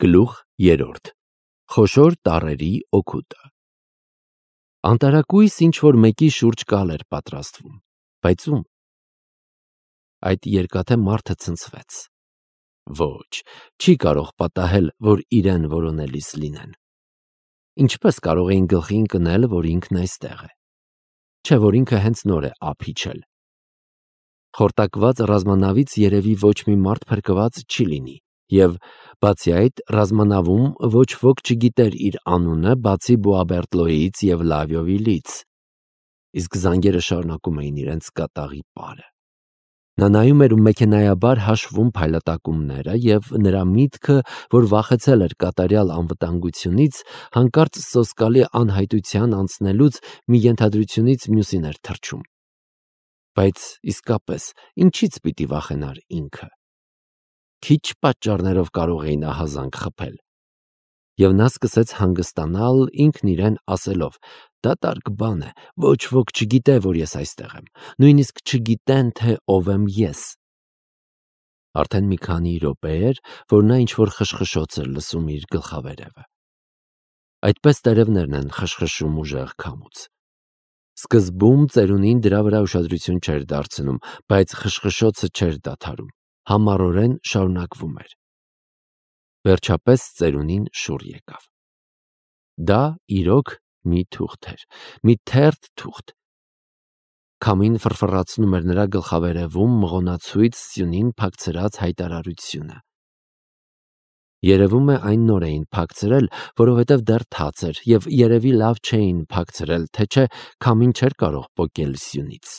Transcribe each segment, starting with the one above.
Գլուխ 3. Խոշոր տառերի օգուտը։ Անտարակույս ինչ-որ մեկի շուրջ կալ էր պատրաստվում, բայց ում։ Այդ երկաթե մարդը ցնցվեց։ Ոչ, չի կարող պատահել, որ իրեն որոնելիս լինեն։ Ինչպես կարող էին գլխի ընկնել, որ ինքն այստեղ է։ Չէ, որ ինքը հենց նոր է ափ իջել։ Խորտակված ռազմանավից երևի ոչ մի մարդ փրկված չի լինի, և բացի այդ ռազմանավում ոչ ոք չգիտեր իր անունը, բացի Բուաբերտլոյից և Լավիովիլից։ Իսկ զանգերը շարունակում էին իրենց կատաղի պարը։ Նա նայում էր ու մեքենայաբար հաշվում փայլատակումները, և նրա միտքը, որ վախեցել էր կատարյալ անվտանգությունից, հանկարծ սոսկալի անհայտության անցնելուց մի ենթադրությունից մյուսին էր թռչում։ Բայց իսկապես, ինչից պիտի վախենար ինքը։ Քիչ պատճառներով կարող էին ահազանգ խփել։ Եվ նա սկսեց հանգստանալ ինքն իրեն ասելով. «Դատարկ բան է, ոչ ոք չգիտե, որ ես այստեղ եմ, նույնիսկ չգիտեն, թե ով եմ ես»։ Արդեն մի քանի րոպե էր, որ նա ինչ-որ խշխշոց էր լսում իր գլխավերևը։ Այդպես տերևներն են խշխշում ուժեղ քամուց։ Սկզբում ծերունին դրա վրա ուշադրություն չէր դարձնում, բայց խշխշոցը չէր դադարում, համառորեն շարունակվում էր։ Վերջապես ծերունին շուռ եկավ։ Դա իրոք մի թուղթ էր, մի թերթ թուղթ։ Քամին ֆռֆռացնում էր նրա գլխավերևում մղոնացույց սյունին փակցրած հայտարարությունը։ Երևում է այն նոր էին փակցրել, որովհետև դեռ թաց էր, և երևի լավ չէին փակցրել, թե չէ քամին չէր կարող պոկել սյունից։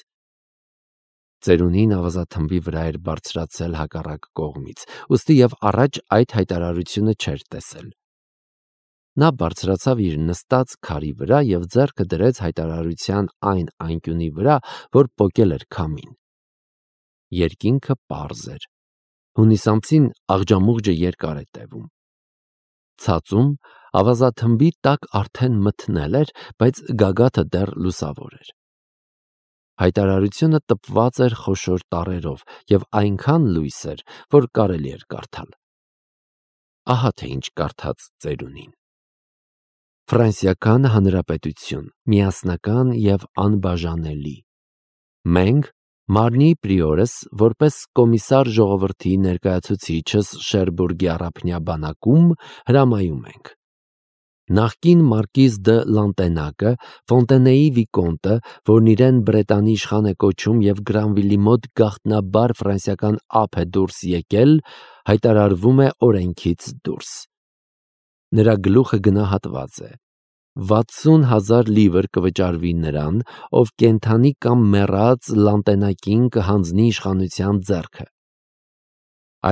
Ծերունին ավազաթմբի վրա էր բարձրացել հակառակ կողմից, ուստի և առաջ այդ հայտարարությունը չէր տեսել։ Նա բարձրացավ իր նստած քարի վրա և ձեռքը դրեց հայտարարության այն անկյունի վրա, որ պոկել էր քամին։ Երկինքը պարզ էր։ Հունիս ամսին աղջամուղջը երկար է տևում։ Ցածում ավազաթմբի տակ արդեն մթնել էր, բայց գագաթը դեռ լուսավոր էր։ Հայտարարությունը տպված էր խոշոր տառերով և այնքան լույս էր, որ կարելի էր կարդալ։ Ահա թե ինչ կարդաց ծերունին. Ֆրանսիական Հանրապետություն, միասնական և անբաժանելի։ Մենք, Մարնի պրիորս, որպես կոմիսար ժողովրդի ներկայացուցիչս Շերբուրգի առափնյա բանակում, հրամայում ենք. Նախկին մարկիզ դը Լանտենակը, Ֆոնտենեի վիկոնտը, որն իրեն Բրետանի իշխան է կոչում և Գրանվիլի մոտ գաղտնաբար ֆրանսիական ափ է դուրս եկել, հայտարարվում է օրենքից դուրս։ Նրա գլուխը գնահատված է։ 60,000 լիվր կվճարվի նրան, ով կենդանի կամ մեռած Լանտենակին կհանձնի իշխանության ձեռքը։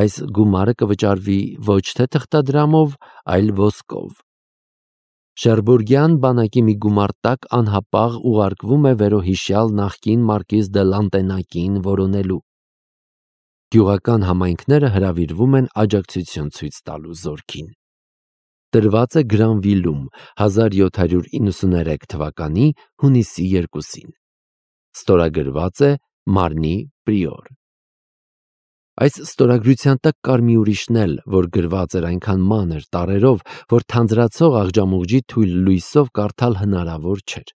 Այս գումարը կվճարվի ոչ թե թղթադրամով, այլ ոսկով։ Շերբուրգյան բանակի մի գումար տակ անհապաղ ուղարկվում է վերոհիշյալ նախկին մարկիզ դը Լանտենակին որոնելու։ Գյուղական համայնքները հրավիրվում են աջակցություն ցույց տալու զորքին։ Տրված է Գրանվիլում 1793 թվականի հունիսի 2-ին։ Ստորագրված է Մարնի պրիոր։ Այս ստորագրության տակ կար մի ուրիշն էլ, որ գրված էր այնքան մանր տառերով, որ թանձրացող աղջամուղջի թույլ լույսով կարդալ հնարավոր չէր։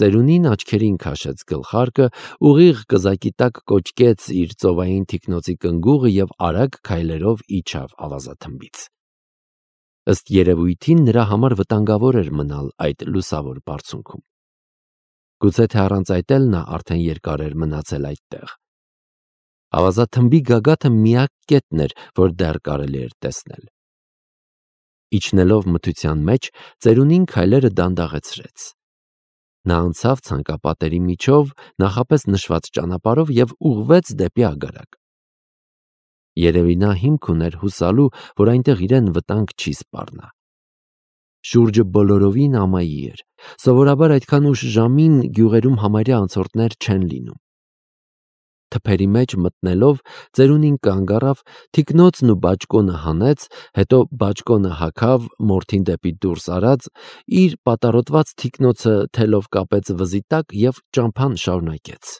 Ծերունին աչքերին քաշեց գլխարկը, ուղիղ կզակի տակ կոճկեց իր ծովային թիկնոցի կնգուղը և արագ քայլերով իջավ ավազաթմբից։ Ըստ երևույթին նրա համար վտանգավոր էր մնալ այդ լուսավոր բարձունքում։ Գուցե թե առանց այդ էլ նա արդեն երկար էր մնացել այդտեղ։ Ավազաթմբի գագաթը միակ կետն էր, որ դեռ կարելի էր տեսնել։ Իջնելով մթության մեջ, ծերունին քայլերը դանդաղեցրեց։ Նա անցավ ցանկապատերի միջով, նախապես նշված ճանապարհով և ուղղվեց դեպի ագարակ։ Երևի նա հիմք ուներ հուսալու, որ այնտեղ իրեն վտանգ չի սպառնա։ Շուրջը բոլորովին ամայի էր։ Սովորաբար այդքան ուշ ժամին գյուղերում համարյա անցորդներ չեն լինում։ Թփերի մեջ մտնելով ծերունին կանգ առավ, թիկնոցն ու բաճկոնը հանեց, հետո բաճկոնը հագավ, մորթին դեպի դուրս արած, իր պատառոտված թիկնոցը թելով կապեց վզի տակ և ճամփան շարունակեց։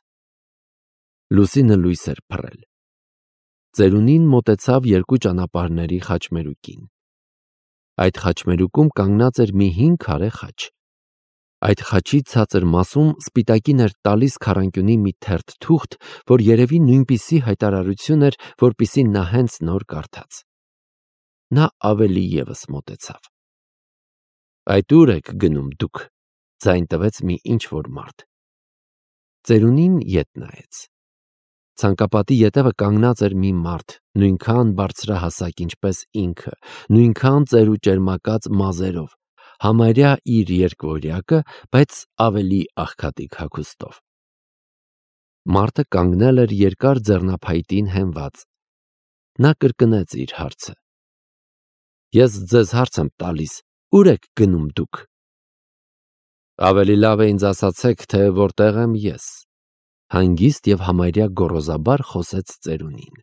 Լուսինը լույս էր փռել։ Ծերունին մոտեցավ երկու ճանապարհների խաչմերուկին։ Այդ խաչմերուկում կանգնած էր մի 5 քարե խաչ։ Այդ խաչի ցածր մասում սպիտակին էր տալիս քառանկյունի մի թերթ թուղթ, որ երևի նույնպիսի հայտարարություն էր, որպիսի նա հենց նոր կարդաց։ Նա ավելի ևս մոտեցավ։ Այդ ուր եք գնում դուք, ձայն տվեց մի ինչ-որ մարդ։ Ծերունին ետ նայեց։ Ցանկապատի ետևը կանգնած էր մի մարդ, նույնքան բարձրահասակ, ինչպես ինքը, նույնքան ծեր ու ճերմակած մազերով, համարյա իր երկվորյակը, բայց ավելի աղքատիկ հագուստով։ Մարդը կանգնել էր երկար ձեռնափայտին հենված։ Նա կրկնեց իր հարցը։ Ես ձեզ հարց եմ տալիս, ուր եք գնում դուք։ Ավելի լավ է ինձ ասացեք, թե որտեղ եմ ես, հանգիստ և համարյա գոռոզաբար խոսեց ծերունին։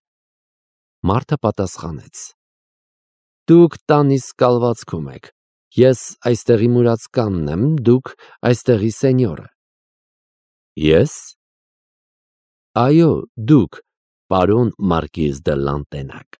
Մարդը պատասխանեց. Դուք տան իսկ կալվածքում եք, ես այստեղի մուրացկանն եմ, դուք այստեղի սենյորը։ Ես։ Այո, դուք, պարոն Մարկիզ դե Լանտենակ։